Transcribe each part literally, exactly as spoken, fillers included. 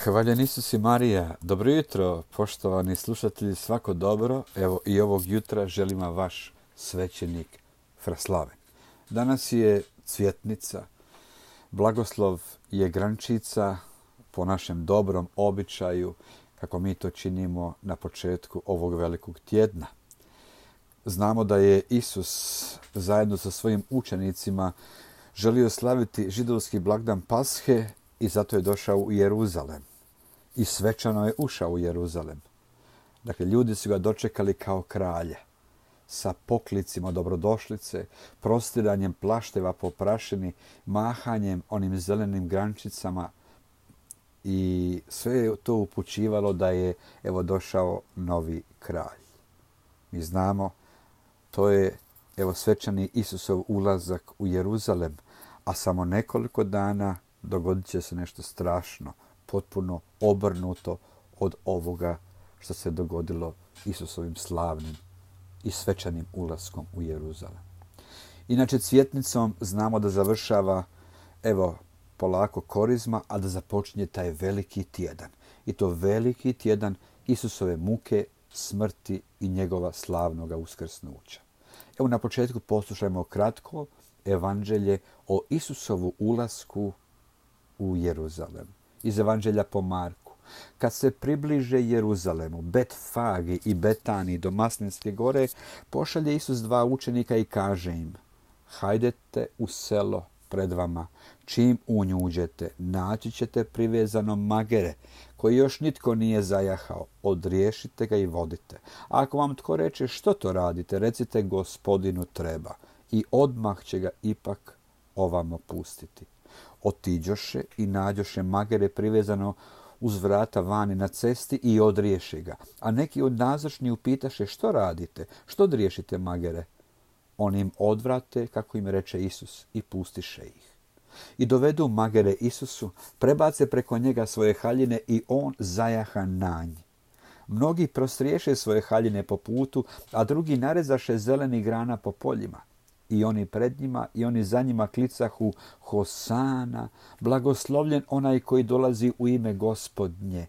Hvaljen Isus i Marija. Dobro jutro, poštovani slušatelji, svako dobro. Evo i ovog jutra želim vam vaš svećenik Fraslaven. Danas je cvjetnica, blagoslov je grančica po našem dobrom običaju, kako mi to činimo na početku ovog velikog tjedna. Znamo da je Isus zajedno sa svojim učenicima želio slaviti židovski blagdan Pashe i zato je došao u Jeruzalem. I svečano je ušao u Jeruzalem. Dakle, ljudi su ga dočekali kao kralja, sa poklicima dobrodošlice, prostiranjem plašteva po prašini, mahanjem onim zelenim grančicama i sve je to upućivalo da je evo došao novi kralj. Mi znamo, to je evo svečani Isusov ulazak u Jeruzalem, a samo nekoliko dana dogodit će se nešto strašno, potpuno obrnuto od ovoga što se dogodilo Isusovim slavnim i svečanim ulaskom u Jeruzalem. Inače, cvjetnicom znamo da završava, evo, polako korizma, a da započinje taj veliki tjedan. I to veliki tjedan Isusove muke, smrti i njegova slavnoga uskrsnuća. Evo na početku poslušajmo kratko evanđelje o Isusovu ulasku u Jeruzalem. Iz evanđelja po Marku. Kad se približe Jeruzalemu, Betfagi i Betani do Maslinske gore, pošalje Isus dva učenika i kaže im: hajdete u selo pred vama, čim u nju uđete, naći ćete privezano magere, koji još nitko nije zajahao, odriješite ga i vodite. A ako vam tko reče što to radite, recite Gospodinu treba, i odmah će ga ipak ovamo pustiti. Otiđoše i nađoše magere privezano uz vrata vani na cesti i odriješe ga. A neki od nazočni upitaše: što radite? Što odriješite magere? Oni im odvrate, kako im reče Isus, i pustiše ih. I dovedu magere Isusu, prebace preko njega svoje haljine i on zajaha na nj. Mnogi prostriješe svoje haljine po putu, a drugi narezaše zelenih grana po poljima. I oni pred njima i oni za njima klicahu: Hosana, blagoslovljen onaj koji dolazi u ime Gospodnje.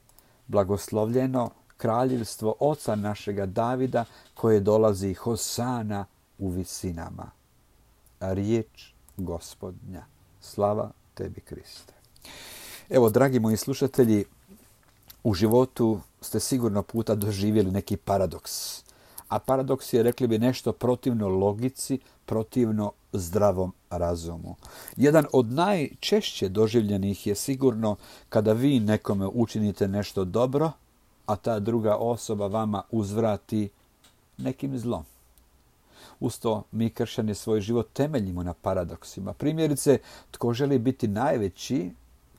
Blagoslovljeno kraljevstvo oca našega Davida koje dolazi, Hosana u visinama. A riječ Gospodnja. Slava tebi, Kriste. Evo, dragi moji slušatelji, u životu ste sigurno puta doživjeli neki paradoks. A paradoks je, rekli bi, nešto protivno logici, protivno zdravom razumu. Jedan od najčešće doživljenih je sigurno kada vi nekome učinite nešto dobro, a ta druga osoba vama uzvrati nekim zlom. Usto mi kršćani svoj život temeljimo na paradoksima. Primjerice, tko želi biti najveći,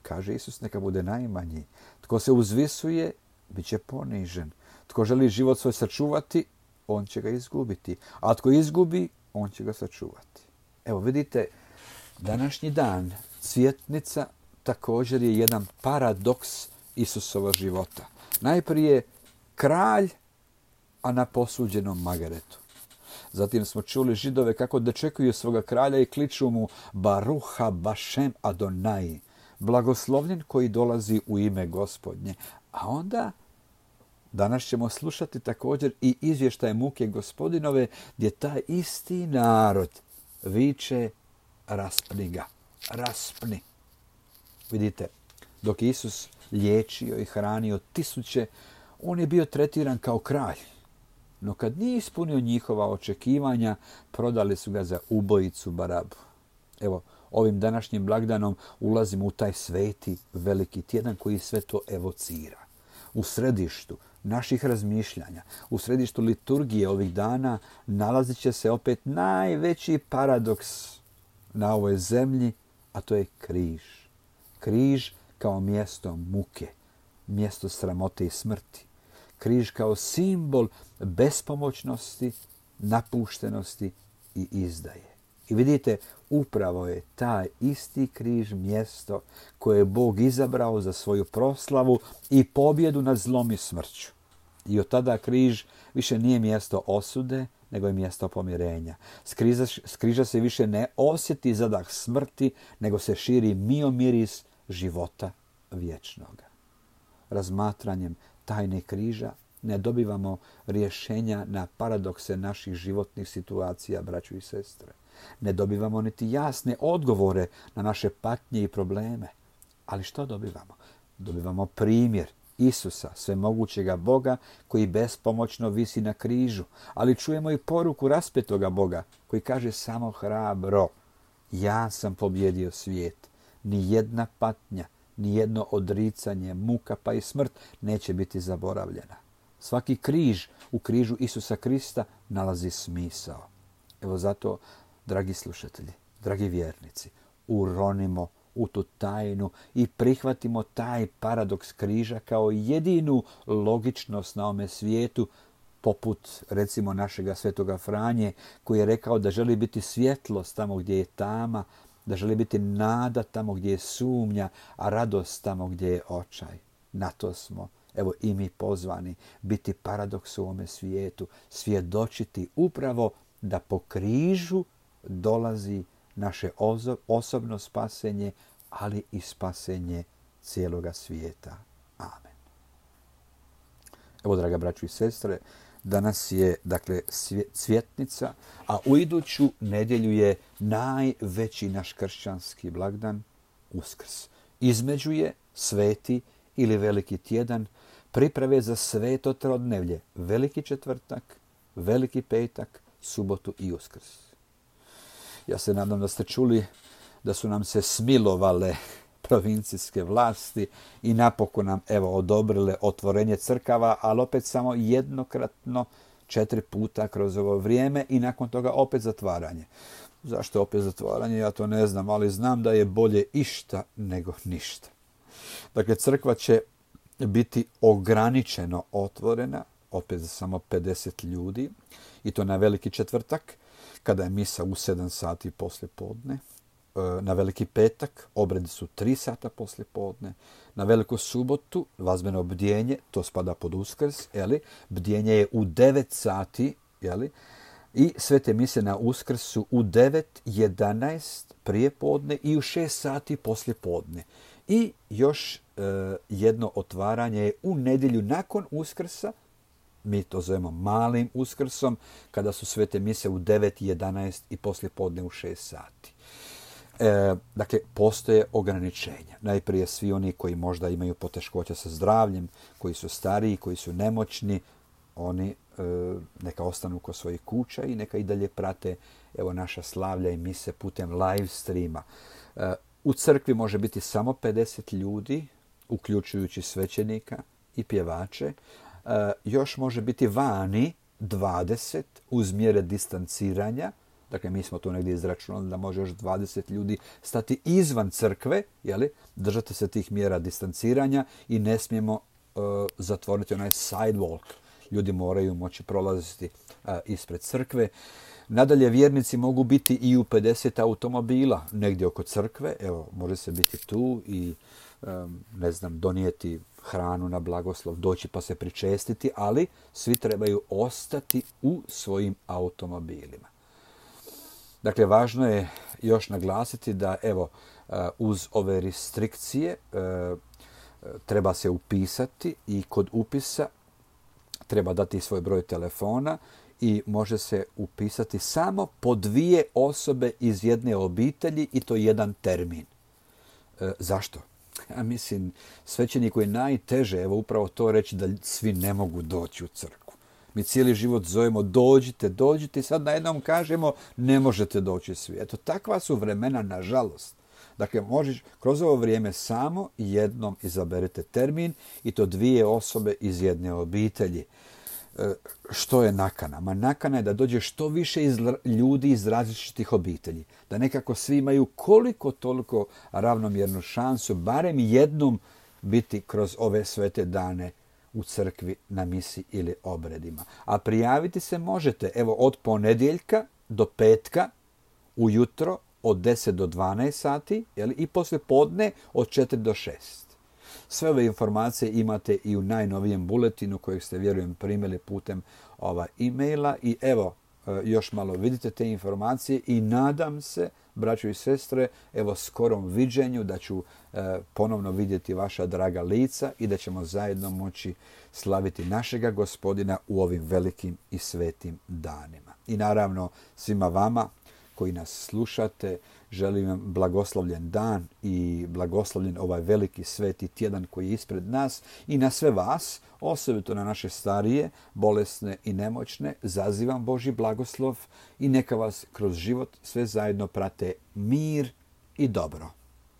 kaže Isus, neka bude najmanji. Tko se uzvisuje, bit će ponižen. Tko želi život svoj sačuvati, on će ga izgubiti. A tko izgubi, on će ga sačuvati. Evo vidite, današnji dan, cvjetnica, također je jedan paradoks Isusova života. Najprije kralj, a na posuđenom magaretu. Zatim smo čuli Židove kako dočekuju svoga kralja i kliču mu: Baruha Bašem Adonai, blagoslovljen koji dolazi u ime Gospodnje. A onda danas ćemo slušati također i izvještaj muke Gospodinove, gdje taj isti narod viče: raspni ga, raspni. Vidite, dok Isus liječio i hranio tisuće, on je bio tretiran kao kralj. No kad nije ispunio njihova očekivanja, prodali su ga za ubojicu Barabu. Evo, ovim današnjim blagdanom ulazimo u taj sveti veliki tjedan koji sve to evocira. U središtu naših razmišljanja, u središtu liturgije ovih dana nalazit će se opet najveći paradoks na ovoj zemlji, a to je križ. Križ kao mjesto muke, mjesto sramote i smrti. Križ kao simbol bespomoćnosti, napuštenosti i izdaje. I vidite, upravo je taj isti križ mjesto koje je Bog izabrao za svoju proslavu i pobjedu nad zlom i smrću. I od tada križ više nije mjesto osude, nego je mjesto pomirenja. Skriža, skriža se više ne osjeti zadah smrti, nego se širi mio miris života vječnoga. razmatranjem tajne križa ne dobivamo rješenja na paradokse naših životnih situacija, braćo i sestre. Ne dobivamo niti jasne odgovore na naše patnje i probleme. Ali što dobivamo? Dobivamo primjer Isusa, svemogućega Boga, koji bespomoćno visi na križu. Ali čujemo i poruku raspetoga Boga, koji kaže samo hrabro: ja sam pobjedio svijet. Ni jedna patnja, ni jedno odricanje, muka pa i smrt neće biti zaboravljena. Svaki križ u križu Isusa Krista nalazi smisao. Evo zato, dragi slušatelji, dragi vjernici, uronimo u tu tajnu i prihvatimo taj paradoks križa kao jedinu logičnost na ovome svijetu, poput recimo našega svetoga Franje, koji je rekao da želi biti svjetlost tamo gdje je tama, da želi biti nada tamo gdje je sumnja, a radost tamo gdje je očaj. Na to smo, evo i mi pozvani, biti paradoks u ovome svijetu, svjedočiti upravo da po križu dolazi naše osobno spasenje, ali i spasenje cijeloga svijeta. Amen. Evo, draga braćo i sestre, danas je dakle cvjetnica, a u iduću nedjelju je najveći naš kršćanski blagdan, Uskrs. Između je sveti ili veliki tjedan, priprave za sveto trodnevlje, veliki četvrtak, veliki petak, subotu i Uskrs. Ja se nadam da ste čuli da su nam se smilovale provincijske vlasti i napokon nam evo odobrile otvorenje crkava, ali opet samo jednokratno, četiri puta kroz ovo vrijeme i nakon toga opet zatvaranje. Zašto opet zatvaranje? Ja to ne znam, ali znam da je bolje išta nego ništa. Dakle, crkva će biti ograničeno otvorena, opet za samo pedeset ljudi, i to na veliki četvrtak, kada je misa u sedam sati poslije podne. Na veliki petak obredi su tri sata poslije podne. Na veliku subotu vazbeno bdjenje, to spada pod Uskrs, jeli? Bdjenje je u devet sati, jeli? I svete mise na Uskrs su u devet, jedanaest prije podne i u šest sati poslije podne. I još e, jedno otvaranje je u nedjelju nakon Uskrsa, mi to zovemo malim Uskrsom, kada su svete mise u devet, jedanaest i poslije podne u šest sati. E, dakle, postoje ograničenja. Najprije svi oni koji možda imaju poteškoća sa zdravljem, koji su stariji, koji su nemoćni, oni e, neka ostanu kod svojih kuća i neka i dalje prate evo naša slavlja i mise putem live streama. E, u crkvi može biti samo pedeset ljudi, uključujući svećenika i pjevače. E, još može biti vani dvadeset uz mjere distanciranja. Dakle, mi smo tu negdje izračunali da može još dvadeset ljudi stati izvan crkve, jeli? Držati se tih mjera distanciranja i ne smijemo uh, zatvoriti onaj sidewalk. Ljudi moraju moći prolaziti uh, ispred crkve. Nadalje, vjernici mogu biti i u pedeset automobila negdje oko crkve. Evo, može se biti tu i um, ne znam, donijeti hranu na blagoslov, doći pa se pričestiti, ali svi trebaju ostati u svojim automobilima. Dakle, važno je još naglasiti da evo uz ove restrikcije treba se upisati i kod upisa treba dati svoj broj telefona i može se upisati samo po dvije osobe iz jedne obitelji i to jedan termin. E, zašto? Ja mislim, svećeniku je najteže evo upravo to reći da svi ne mogu doći u crkvu. Mi cijeli život zovemo dođite, dođite i sad najednom kažemo ne možete doći svi. Eto, takva su vremena, nažalost. Dakle, možeš kroz ovo vrijeme samo jednom izaberete termin i to dvije osobe iz jedne obitelji. E, što je nakana? Ma nakana je da dođe što više iz ljudi iz različitih obitelji. Da nekako svi imaju koliko toliko ravnomjernu šansu, barem jednom biti kroz ove svete dane u crkvi na misi ili obredima. A prijaviti se možete evo od ponedjeljka do petka ujutro od deset do dvanaest sati, jeli, i poslije podne od četiri do šest. Sve ove informacije imate i u najnovijem buletinu kojeg ste, vjerujem, primili putem ova e-maila i evo, još malo vidite te informacije i nadam se, braćo i sestre, evo skorom viđenju da ću ponovno vidjeti vaša draga lica i da ćemo zajedno moći slaviti našega Gospodina u ovim velikim i svetim danima. I naravno svima vama koji nas slušate, želim vam blagoslovljen dan i blagoslovljen ovaj veliki sveti tjedan koji je ispred nas i na sve vas, osobito na naše starije, bolesne i nemoćne, zazivam Božji blagoslov i neka vas kroz život sve zajedno prate mir i dobro.